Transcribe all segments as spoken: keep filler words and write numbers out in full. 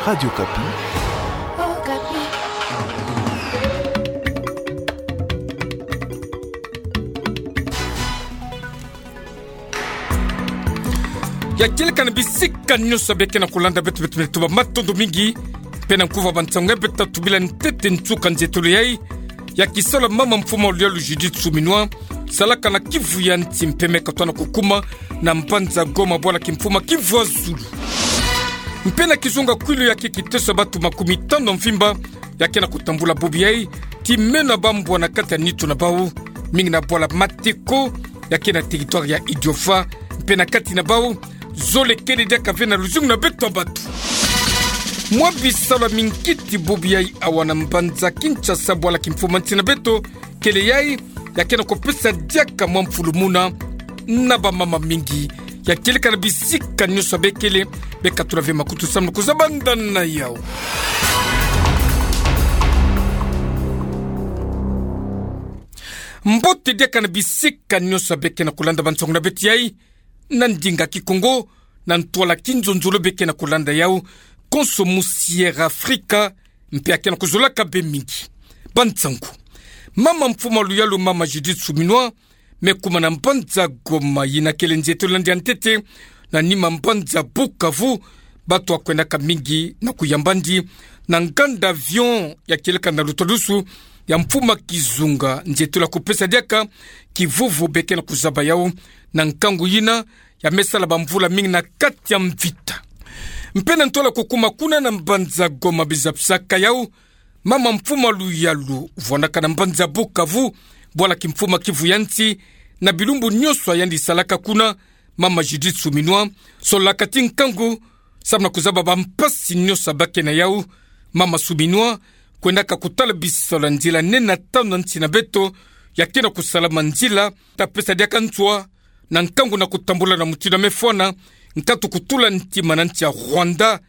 Radio Okapi. Ya kieleka na bisika nyonso beke na kulanda beto, beto, beto, matondo mingi. Mpe na nkuva ba nsangu ya beto tubila ntete nsuka nzietolo yai. Ya kisalu ya mama mfuma luyalu Judith Suminwa, salaka na Kivu ya nsi mpe me katwa na kukuma na mbanza Goma bwala kimfuma Kivu ya zulu. Mpe na kizunga kwilu ya ke kiteso ya bato makumi tano mvimba ya ke na kutambula bobi yai, ti meno ya bambwa na kati ya nitu na bau, mingi na bwala Mateko, ya ke na territoire ya Idiofa, mpe na kati na bau, zole kele diaka ve na luzingu na beto ya bato. Mwa bisalu ya minkiti bobi yai awa na mbanza Kinshasa bwala kimfuma nsi na beto, kele yai, ya ke na kupesa diaka mwa mfulumuna na bamama mingi. Ya kieleka na bisika nyonso bekele, beka tula ve makutu samu na kuzaba ndani na yau. Mbote diaka na bisika nyonso beke na kulanda ba nsangu na beto yai, na ndinga Kikongo, na ntwala kinzonzolo beke na kulanda yau, konso musi Air Afrika, mpe ya ke na kuzolaka be mingi. Ba nsangu. Mama mfuma luyalu mama Judith Suminwa, me kuma na mbanza Goma yina kele nzietolo na ndia ntete, na nima mbanza Bukavu, bato ya kwendaka mingi na kuyamba ndi, na nganda avion ya kieleka na lutadusu, ya mfuma kizunga, nzietolo ya kupesa diaka, kivuvu beke na kuzaba yau, na nkangu yina, ya me sala bamvula mingi na kati ya mvita. Mpe na ntwala kukuma kuna na mbanza Goma bizabisaka yau, mama mfuma luyalu, vwandaka na mbanza Bukavu, bwala kimfuma Kivu ya nsi, na bilumbu nyonso ya yandi salaka kuna, mama Judith Suminwa, sololaka ti nkangu, samu na kuzaba bampasi nyonso bake na yau, mama Suminwa, kwendaka kutala bisalu ya nzila nene tanu na nsi na beto, ya ke na kusalama nzila, ta pesa diaka nswa, na nkangu na kutambula na mutindu ya me fwana, nkatu kutula ntima na nsi ya Rwanda,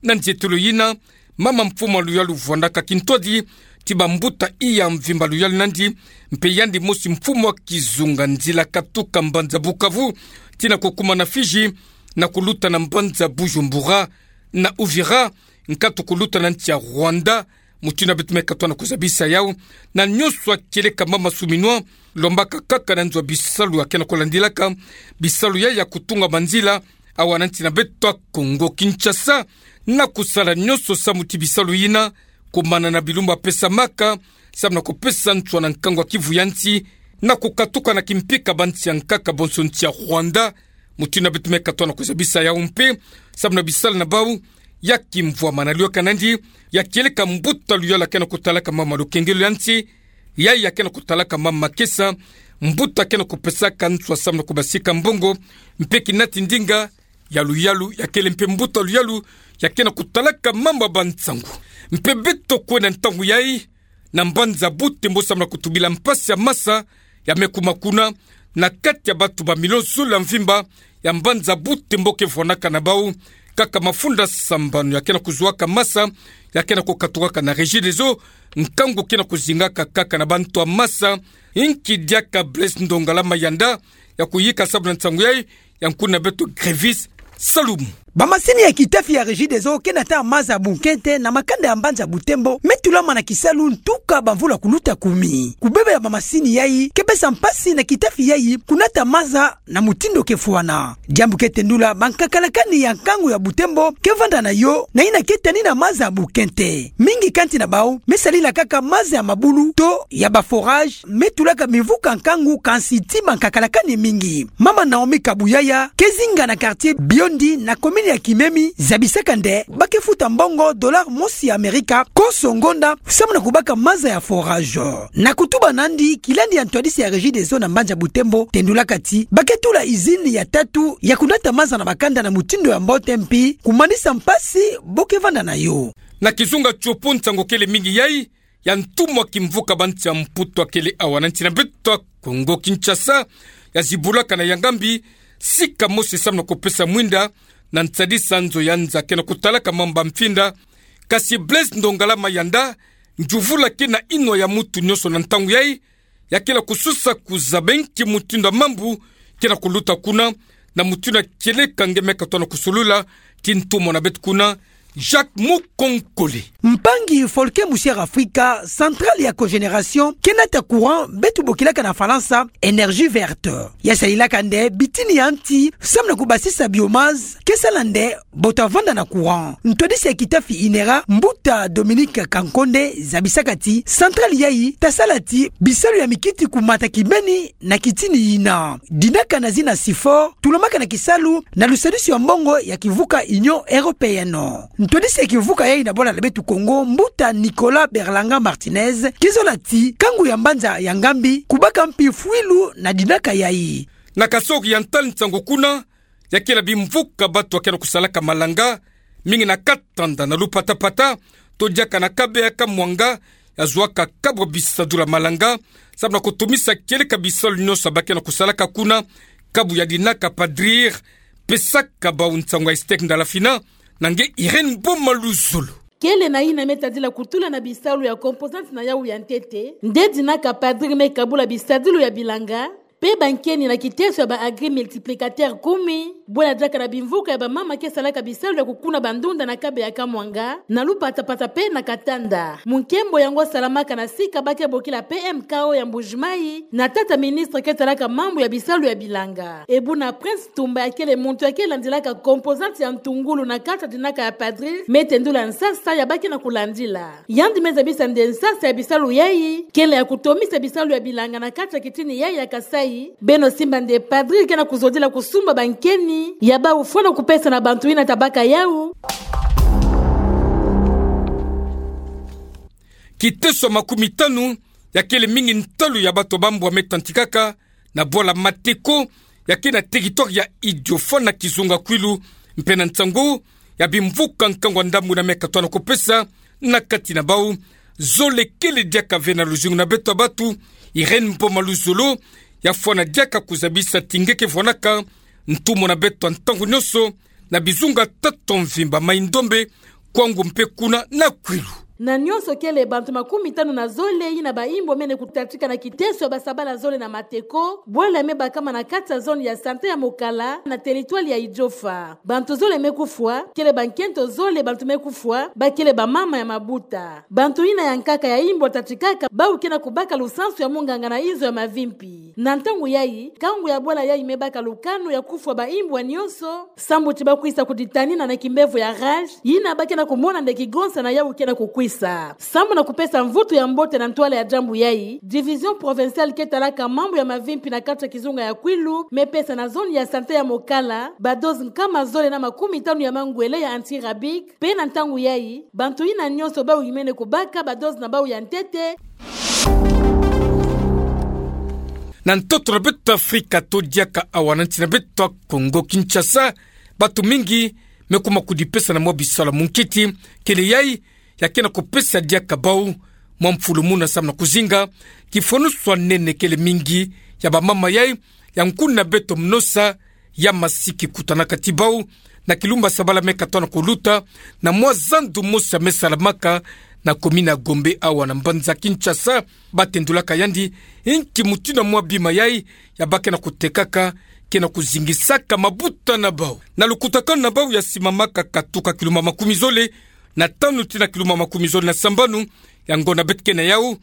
na nzietolo yina, mama mfuma luyalu vwandaka kintwadi, ti bambuta iya mvimba luyalu nandi, mpe yandi mosi mfuma kizunga nzila katuka mbanza Bukavu, tii na kukuma na Fidji, na kuluta na mbanza Bujumbura, na Uvira, nkatu kuluta na nsi ya Rwanda, mutindu ya beto me katwa na kuzabisa yau, na nyonso ya kieleka mama Suminwa, lombaka kaka na nzo ya bisalu ya ke na kulandilaka, bisalu ya ya kutunga manzila, awa na nsi na beto ya Kongo Kinshasa, na kusala nyonso samu ti bisalu yina, kumana na bilumbu ya pesamaka, samu na kupesa nswa na nkangu ya Kivu ya nsi, na kukatuka na kimpika ba nsi ya nkaka bonso nsi ya Rwanda, mutindu ya beto me katwa na kuzabisa yau mpe, samu na bisalu na bau, ya kimvwama na luyaka nandi, ya kieleka mbuta luyalu ya ke na kutalaka mama lukengelo ya nsi, yai ya ke na kutalaka mama Kesa, mbuta ke na kupesaka nswa samu na kubasika mbongo, mpe kinati ndinga, ya luyalu, ya kele mpe mbuta luyalu, ya ke na kutalaka mama ba nsangu. Mpe beto kwenda ntangu yai, na mbanza Butembo samu na kutubila mpasi ya masa, ya me kuma kuna, na kati ya bato ba milio zole ya mvimba, ya mbanza Butembo ke vwandaka na bau, kaka mafunda sambanu ya ke na kuzwaka masa, ya ke na kukatukaka na Regideso, nkangu ke na kuzingaka kaka na bantu ya masa, inki diaka Blaise Ndongala Mayanda, ya kuyika samu na nsangu yai, ya nkuna beto Grevis Salumu. Bamasini ya kitafi ya Regideso ke nata maza ya bunkete na makanda ya mbanza Butembo, me tulama na kisalu ntuka bamvula kuluta kumi. Kubeba ya bamasini yai, ke pesa mpasi na kitafi yai, kunata maza na mutindu ke fwana. Diambu ke tendula bankakalakani ya nkangu ya Butembo, ke vanda na yo, na yina ke tanina maza ya bunkete. Mingi kati na bau, me salila kaka maza ya mabulu, to ya ba forage, me tulaka mimvuka nkangu kansi ti bankakalakani mingi. Mama Naomi Kabuyaya, ke zinga na quartier Biondi na commune ya Kimemi, zabisaka nde, ba ke futa mbongo dollar mosi ya Amerika, konso ngonda, samu na kubaka maza ya forage. Na kutuba nandi, kilandi ya ntwadisi ya Regideso na mbanza Butembo, tendulaka ti, ba ke tula usine ya tatu, ya kunata maza na makanda na mutindu ya mbote mpi, kumanisa mpasi, bo ke vanda na yo. Na kizunga tiopo nsangu kele mingi yai, ya ntumwa kimvuka ba nsi ya Mputu akele awa na nsi na beto ya Kongo Kinshasa, ya zibulaka na ya ngambi, sika mosi samu na kupesa mwinda, na nsadisa nzo ya nza ke na kutalaka mamba mfinda, kasi Blaise Ndongala Mayanda, njuvula ke na inwa ya mutu nyonso na ntangu yai, ya ke na kususa kuzaba inki mutindu ya mambu, ke na kuluta kuna, na mutindu ya kieleka nge me katwa na kusolula, ti ntumwa na beto kuna, Jacques Mukonkole. Mpangi Folke Musière Afrika, centrale ya cogénération ke nata courant beto bokilaka na Falansa énergie verte, ya salilaka nde bitini ya nti samu na kubasisa biomasse ke sala nde bota vanda na courant. Ntwadisi ya kitafi INERA, mbuta Dominique Kankonde, zabisaka ti centrale yayi ta sala ti bisalu ya mikiti kumata kibeni na kitini yina. Dinaka na zina SIFOR tulamaka na kisalu na lusadisi ya mbongo ya kivuka Union Européenne. Ntwadisi ya kivuka yayi na bwala na beto Kongo, mbuta Nicolas Berlanga Martinez, ke zola ti kangu ya mbanza ya ngambi kubaka mpi fwilu na dinaka yayi. Na Kasai-Oriental, nsangu kuna ya kele bimvuka bato ya ke na kusalaka malanga, mingi na Katanda, na Lupatapata, to diaka na Kabeya-Kamwanga, ya zowaka kabu bisadula malanga samu na kutumisa kieleka bisalu nyonso ba ke na kusalaka kuna, kabu ya dinaka padrir. Pesaka bau nsangu ya Estec Ndalafina na nge Irène Boma Luzolo. Kele na yina me tadila kutula na bisalu ya composante na yau ya ntete, nde dinaka padrir me kabula bisadilu ya bilanga, pe bankeni na kiteso ya ba agri-multiplicateur kumi, bwena diaka na bimvuka ya bamama ke salaka bisalu ya kukuna bandunda na Kabeya-Kamwanga, na Lupatapata pe na Katanda. Munkembo yango salamaka na sika ba ke bokila P M K O ya Mbuji-Mayi, na tata ministre ke talaka mambu ya bisalu ya bilanga. E buna Prince Tumba ya kele muntu ya ke landilaka composante ya ntungulu na kati ya dinaka ya padrir, me tendula nsasa ya ba ke na kulandila. Yandi me zabisa nde nsasa ya bisalu yayi kele ya kutomisa bisalu ya bilanga na kati ya kitini yayi ya Kasai. Beno simba nde padrir ke na kuzodila kusumba bankeni ya bau fwana kupesa na bantu yina ta baka yau. Kiteso ya makumitanu ya kele mingi ntalu ya bato bambwa me tantikaka na bwala Mateko, ya ke na territoire ya Idiofa na kizunga Kwilu, mpe na nsangu ya bimvuka nkangu ya ndambu yina me katoa na kupesa na kati na bau. Zole kele diaka ve na luzingu na beto ya bato, Irène Boma Luzolo, ya fwana diaka kuzabisa ti nge ke vwanaka ntumwa na beto ya ntangu nyonso na bizunga tatu mvimba, Mai-Ndombe, Kwango mpe kuna na Kwilu. Na nyonso kele bantu makumitanu na zole yina baimbo mene kutatika na kiteso ya basabala zole na Mateko, bwala me bakama na kati ya zone ya santé ya Mokala, na territoire ya Idiofa. Bantu zole me kufwa, kele bankento zole bantu me kufwa, ba kele bamama ya mabuta. Bantu yina ya nkaka ya imbo tatikaka, bau ke na kubaka lusansu ya munganga na izo ya mavi mpi. Na ntangu yayi, kangu ya bwala yayi me baka lukanu ya kufwa baimbo nyonso, sambu ti ba kwisa kuditanina na kimbevo ya rage, yina ba ke na kumona nde kigonsa na yau ke na kukwisa. Sambu na kupesa mvutu ya mbote na ntwala ya diambu yayi, division provinciale ke talaka mambu ya mavi mpi na kati ya kizunga ya Kwilu me pesa na zone ya santé ya Mokala badose nkama zole na makumitanu ya mangwele ya anti-rabique, mpe na ntangu yayi, bantu yina nyonso bau yimene kubaka badose na bau ya ntete. Na ntoto na beto Afrika to diaka awa na nsi na beto Kongo Kinshasa, bato mingi me kuma kudipesa na mwa bisalu ya munkiti, kele yayi ya ke na kupesa diaka bau mwa mfulumuna samu na kuzinga kifwanusu ya nene kele mingi ya bamama yayi ya nkuna beto Mnosa, ya masiki kutanaka ti bau na kilumba sabala me katoa na kuluta, na mwa zandu mosi ya me salamaka na commune ya Gombe awa na mbanza Kinshasa. Ba tendulaka yandi inki mutindu ya mwa bima yayi ya ba ke na kutekaka ke na kuzingisaka mabuta na bau. Na lukutakanu na bau ya simamaka katuka kilumba makumi zole na tanu tii na kilumba makumi zole na sambanu, yango na beto ke na yau,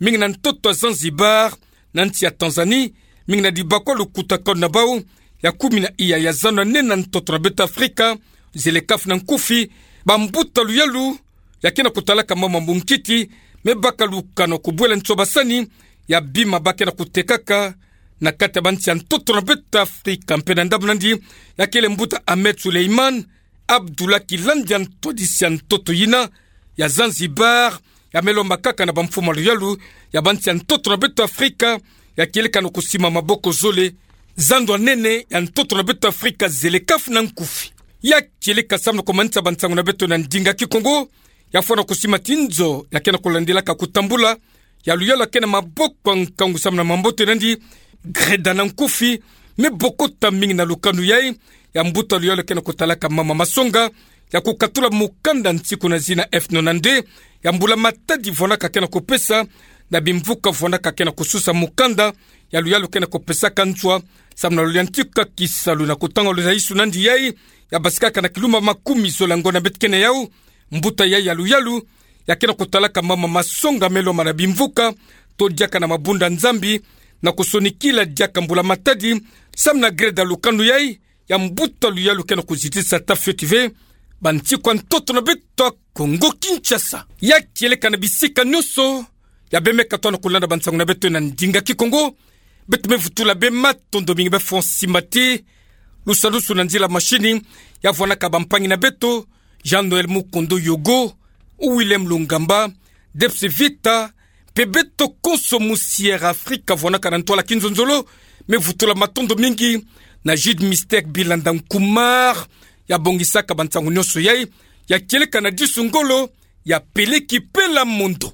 mingi na ntoto ya Zanzibar, na nsi ya Tanzanie, mingi na dibakwa lukutakanu na bau ya kumi na iya ya zando ya nene na ntoto na beto Afrika, ZLECAf na nkufi, bambuta luyalu ya ke na kutalaka mambu ya munkiti me baka lukanu kubwela nsobasani ya bima ba ke na kutekaka na kati ya bansi ya ntoto na beto Afrika. Mpe na ndambu nandi, ya kele mbuta Ahmed Suleiman Abdullah, kilandi ya ntwadisi ya ntoto yina ya Zanzibar, ya me lomba kaka na bamfumu ya luyalu ya bansi ya ntoto na beto Afrika, ya kieleka na kusimba maboko zole zando ya nene ya ntoto na beto Afrika, ZLECAf na nkufi. Ya kieleka samu na kumanisa bansangu na beto na ndinga Kikongo, ya fwana kusimba ti nzo ya ke na kulandilaka kutambula ya luyalu ya ke na maboko ya nkangu samu na mambote nandi, Greda na nkufi, me bokota mingi na lukanu yayi ya mbuta luyalu ya ke na kutalaka Mama Masonga, ya kukatula mukanda nsiku na zina F nonante, ya mbula-matadi vwanaka ke na kupesa na bimvuka vwanaka ke na kususa mukanda ya luyalu ke na kupesaka nswa samu na luyantika kisalu na kutanga luzayisu nandi yayi ya basikaka na kilumba makumi zole ngo na beto kena yau. Mbuta yai ya luyalu, ya kena kotalaka mama masongamelo mana bimvuka, to diaka na mabunda Nzambi, na kosonikila diaka mbula matadi, samu na greda lukanu yai, ya mbuta luyalu kena kozitisa ta fioti ve, bantikwa ntoto na beto Kongo Kinshasa. Ya kieleka na bisika nyonso, ya bemeka tona kolanda bansangu na beto na ndinga Kikongo, beto me vutula bê matondo mingi bê fo simati, lusalusu na nzila mashini, ya vwanaka bampangi na beto, Jean Noël Mukondo Yogo, Willem Lungamba, Debs Vita, mpe beto konso mu Sierra Africa vwanaka na ntwala kinzonzolo, me vutula matondo mingi, na Jude Mystère Bilanda Nkumar, ya bongisaka bansangu nyonso yai, ya kieleka na disu ngolo, ya peleki pela mondo.